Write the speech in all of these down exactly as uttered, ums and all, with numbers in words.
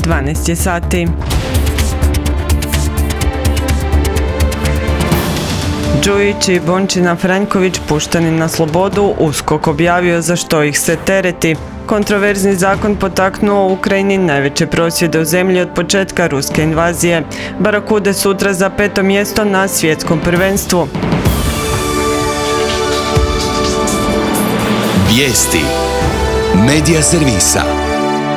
dvanaest je sati. Đujić i Bončina Franjković pušteni na slobodu, USKOK objavio za što ih se tereti. Kontroverzni zakon potaknuo u Ukrajini najveće prosvjede u zemlji od početka ruske invazije. Barakude sutra za peto mjesto na svjetskom prvenstvu. Vijesti Medija servisa.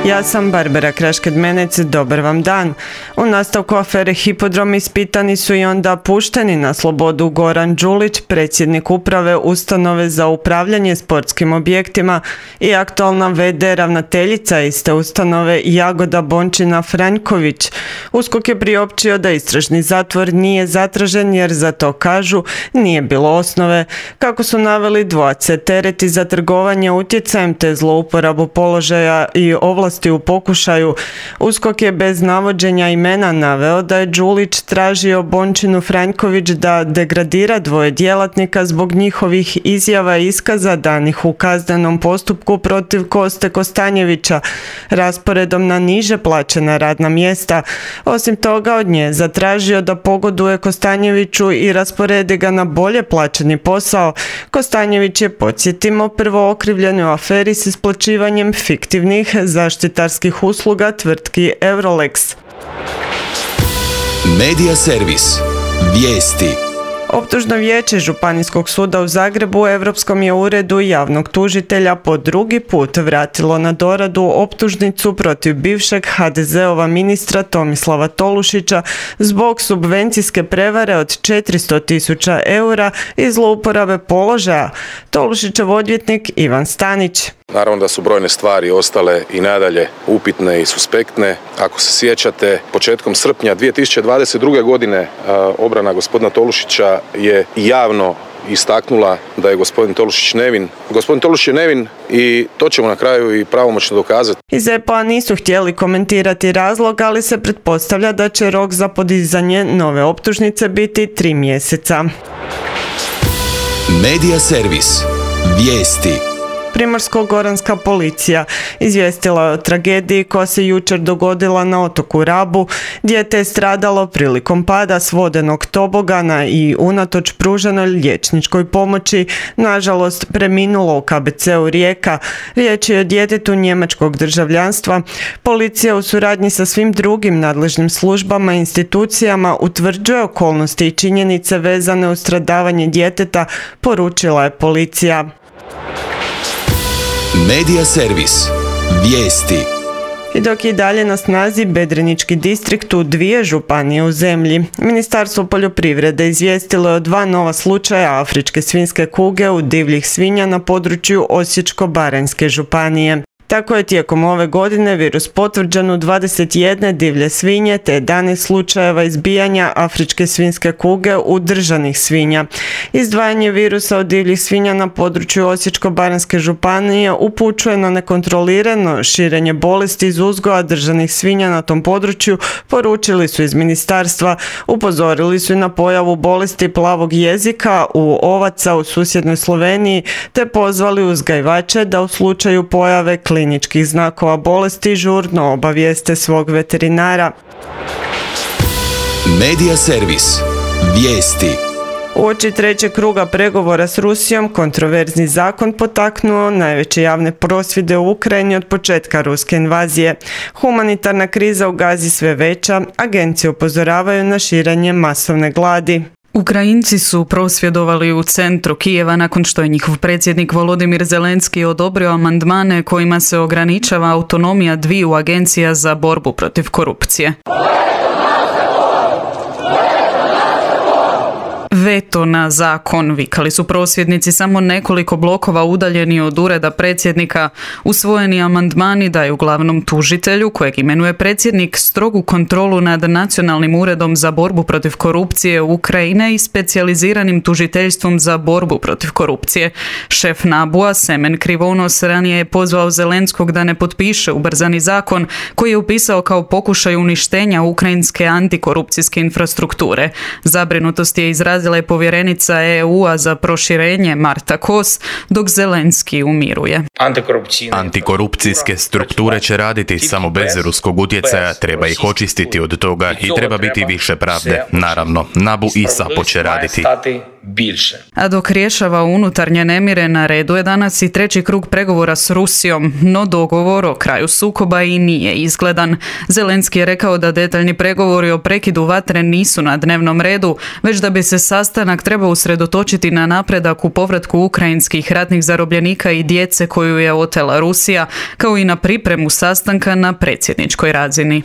Ja sam Barbara Krašked-Menec, dobar vam dan. U nastavku afere Hipodrom ispitani su i onda pušteni na slobodu Goran Đulić, predsjednik uprave ustanove za upravljanje sportskim objektima, i aktualna ve de ravnateljica iste ustanove Jagoda Bončina Franjković. USKOK je priopćio da istražni zatvor nije zatražen jer za to, kažu, nije bilo osnove. Kako su naveli, dvojac se tereti za trgovanje utjecajem te zlouporabu položaja i ovlasti u pokušaju. USKOK je bez navođenja imena naveo da je Đulić tražio Bončinu Franjković da degradira dvoje djelatnika zbog njihovih izjava i iskaza danih u kaznenom postupku protiv Koste Kostanjevića rasporedom na niže plaćena radna mjesta. Osim toga, od nje zatražio da pogoduje Kostanjeviću i rasporedi ga na bolje plaćeni posao. Kostanjević je, podsjetimo, prvo okrivljen u aferi s isplaćivanjem fiktivnih zaštitarskih usluga tvrtki Eurolex. Medija servis. Vijesti. Optužno vijeće Županijskog suda u Zagrebu Europskom je uredu javnog tužitelja po drugi put vratilo na doradu optužnicu protiv bivšeg ha de zeova ministra Tomislava Tolušića zbog subvencijske prevare od četiristo tisuća eura i zlouporabe položaja. Tolušićev odvjetnik Ivan Stanić. Naravno da su brojne stvari ostale i nadalje upitne i suspektne. Ako se sjećate, početkom srpnja dvije tisuće dvadeset druge. godine obrana gospodina Tolušića je javno istaknula da je gospodin Tolušić nevin. Gospodin Tolušić je nevin i to ćemo na kraju i pravomoćno dokazati. Iz e pe a nisu htjeli komentirati razlog, ali se pretpostavlja da će rok za podizanje nove optužnice biti tri mjeseca. Medija servis. Vijesti. Primorsko-goranska policija izvijestila je o tragediji koja se jučer dogodila na otoku Rabu. Dijete je stradalo prilikom pada s vodenog tobogana i unatoč pruženoj liječničkoj pomoći, nažalost, preminulo u ka be ce u Rijeka. Riječ je o djetetu njemačkog državljanstva. Policija u suradnji sa svim drugim nadležnim službama i institucijama utvrđuje okolnosti i činjenice vezane uz stradavanje djeteta, poručila je policija. Medija servis. Vijesti. I dok je dalje na snazi Bedrenički distrikt u dvije županije u zemlji, Ministarstvo poljoprivrede izvijestilo je o dva nova slučaja afričke svinjske kuge u divljih svinja na području Osječko-baranjske županije. Tako je tijekom ove godine virus potvrđen u dvadeset jedne divlje svinje te jedanaest slučajeva izbijanja afričke svinjske kuge u držanih svinja. Izdvajanje virusa od divljih svinja na području Osječko-baranjske županije upućuje na nekontrolirano širenje bolesti iz uzgoja držanih svinja na tom području, poručili su iz ministarstva. Upozorili su i na pojavu bolesti plavog jezika u ovaca u susjednoj Sloveniji te pozvali uzgajivače da u slučaju pojave kliničkih kliničkih znakova bolesti žurno obavijeste svog veterinara. Medija servis. Vijesti. Uoči trećeg kruga pregovora s Rusijom, kontroverzni zakon potaknuo najveće javne prosvjede u Ukrajini od početka ruske invazije. Humanitarna kriza u Gazi sve veća, agencije upozoravaju na širenje masovne gladi. Ukrajinci su prosvjedovali u centru Kijeva nakon što je njihov predsjednik Volodimir Zelenski odobrio amandmane kojima se ograničava autonomija dviju agencija za borbu protiv korupcije. Veto na zakon, vikali su prosvjednici samo nekoliko blokova udaljeni od ureda predsjednika. Usvojeni amandmani daju glavnom tužitelju, kojeg imenuje predsjednik, strogu kontrolu nad Nacionalnim uredom za borbu protiv korupcije Ukrajine i specijaliziranim tužiteljstvom za borbu protiv korupcije. Šef nabua Semen Krivonos ranije je pozvao Zelenskog da ne potpiše ubrzani zakon koji je upisao kao pokušaj uništenja ukrajinske antikorupcijske infrastrukture. Zabrinutost je izrazio izrazila je povjerenica E U-a za proširenje Marta Kos, dok Zelenski umiruje. Antikorupcijske strukture će raditi samo bez ruskog utjecaja, treba ih očistiti od toga i treba biti više pravde. Naravno, Nabu i Sapo će raditi. A dok rješava unutarnje nemire, na redu je danas i treći krug pregovora s Rusijom, no dogovor o kraju sukoba i nije izgledan. Zelenski je rekao da detaljni pregovori o prekidu vatre nisu na dnevnom redu, već da bi se sastanak trebao usredotočiti na napredak u povratku ukrajinskih ratnih zarobljenika i djece koju je otela Rusija, kao i na pripremu sastanka na predsjedničkoj razini.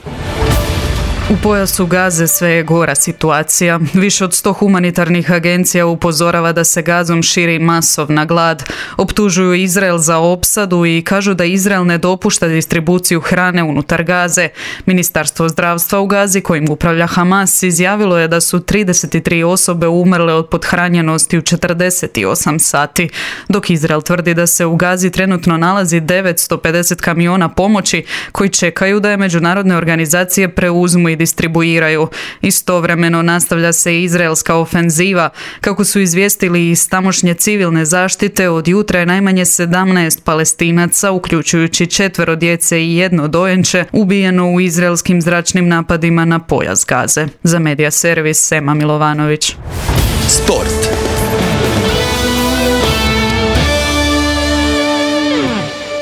U pojasu Gaze sve je gora situacija. Više od sto humanitarnih agencija upozorava da se Gazom širi masovna glad. Optužuju Izrael za opsadu i kažu da Izrael ne dopušta distribuciju hrane unutar Gaze. Ministarstvo zdravstva u Gazi, kojim upravlja Hamas, izjavilo je da su trideset tri osobe umrle od pothranjenosti u četrdeset osam sati, dok Izrael tvrdi da se u Gazi trenutno nalazi devetsto pedeset kamiona pomoći koji čekaju da je međunarodne organizacije preuzmu i distribuiraju. Istovremeno nastavlja se izraelska ofenziva. Kako su izvijestili iz tamošnje civilne zaštite, od jutra je najmanje sedamnaest Palestinaca, uključujući četvero djece i jedno dojenče, ubijeno u izraelskim zračnim napadima na pojas Gaze. Za Medija servis Sema Milovanović. Sport.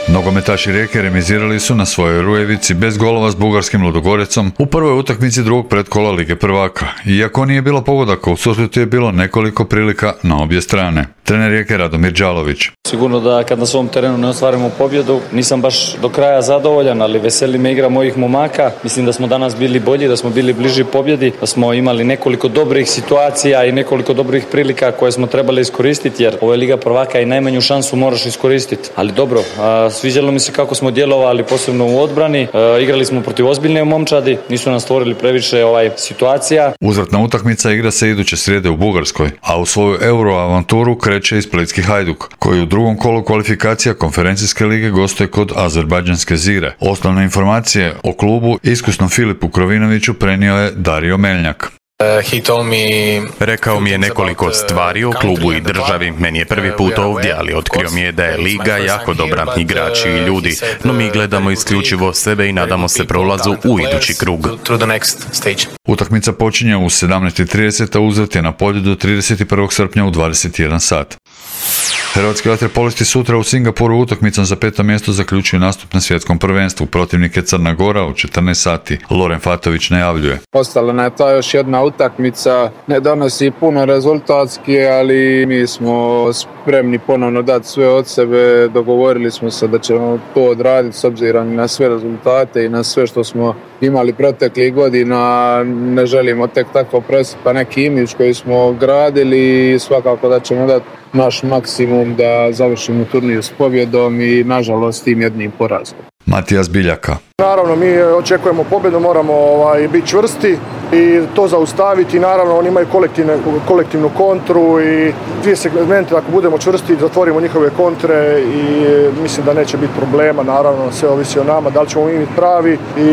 Nogometaši Rijeke remizirali su na svojoj Rujevici bez golova s bugarskim Ludogorecom u prvoj utakmici drugog pretkola Lige prvaka. Iako nije bilo pogodaka, u susretu je bilo nekoliko prilika na obje strane. Trener Rijeke Radomir Đalović. Sigurno da kad na svom terenu ne ostvarimo pobjedu, nisam baš do kraja zadovoljan, ali veseli me igra mojih momaka. Mislim da smo danas bili bolji, da smo bili bliži pobjedi, da smo imali nekoliko dobrih situacija i nekoliko dobrih prilika koje smo trebali iskoristiti, jer ovo je Liga prvaka i najmanju šansu moraš iskoristiti. Ali dobro, sviđalo mi se kako smo djelovali, posebno u odbrani. Igrali smo protiv ozbiljne momčadi, nisu nam stvorili previše ovaj situacija. Uzvratna utakmica igra se iduće srijede u Bugarskoj, a u svoju Euro-avanturu kreće i splitski Hajduk, koji u drugom kolu kvalifikacija konferencijske lige gostuje kod azerbajdžanske Zire. Osnovne informacije o klubu iskusnom Filipu Krovinoviću prenio je Dario Meljnjak. Rekao mi je nekoliko stvari o klubu i državi. Meni je prvi put ovdje, ali otkrio mi je da je liga jako dobra, igrači i ljudi, no mi gledamo isključivo sebe i nadamo se prolazu u idući krug. Utakmica počinje u sedamnaest i trideset, a uzvrat je na polju do trideset prvog srpnja u dvadeset jedan sat. Hrvatski vaterpolisti sutra u Singapuru utakmicom za peto mjesto zaključuju nastup na svjetskom prvenstvu. Protivnik je Crna Gora u četrnaest sati. Loren Fatović najavljuje. Ostala nam je ta još jedna utakmica, ne donosi puno rezultatski, ali mi smo spremni ponovno dati sve od sebe. Dogovorili smo se da ćemo to odraditi s obzirom na sve rezultate i na sve što smo imali proteklih godina. Ne želimo tek tako presipa neki imidž koji smo gradili i svakako da ćemo dati naš maksimum da završimo turnir s pobjedom i nažalost tim jednim porazom. Matijas Biljaka. Naravno, mi očekujemo pobjedu, moramo ovaj, biti čvrsti i to zaustaviti. Naravno, oni imaju kolektivnu kontru i dvije segmente, ako budemo čvrsti, zatvorimo njihove kontre i mislim da neće biti problema. Naravno, sve ovisi o nama, da li ćemo mi biti pravi i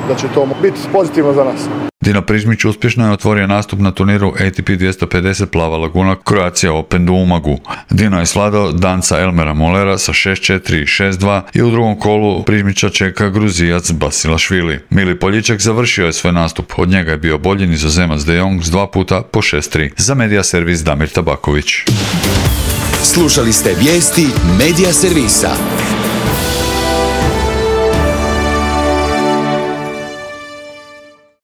da će to biti pozitivno za nas. Dino Prižmić uspješno je otvorio nastup na turniru A T P dvjesto pedeset Plava Laguna Croatia Open u Umagu. Dino je svladao danca Elmera Molera sa šest četiri i šest dva i u drugom kolu Prižmića čeka Gruzijac Basilašvili. Mili Poljičak završio je svoj nastup, od njega je bio bolji Nizozemac De Jong s dva puta po šest tri. Za Medija servis Damir Tabaković. Slušali ste vijesti Medija servisa.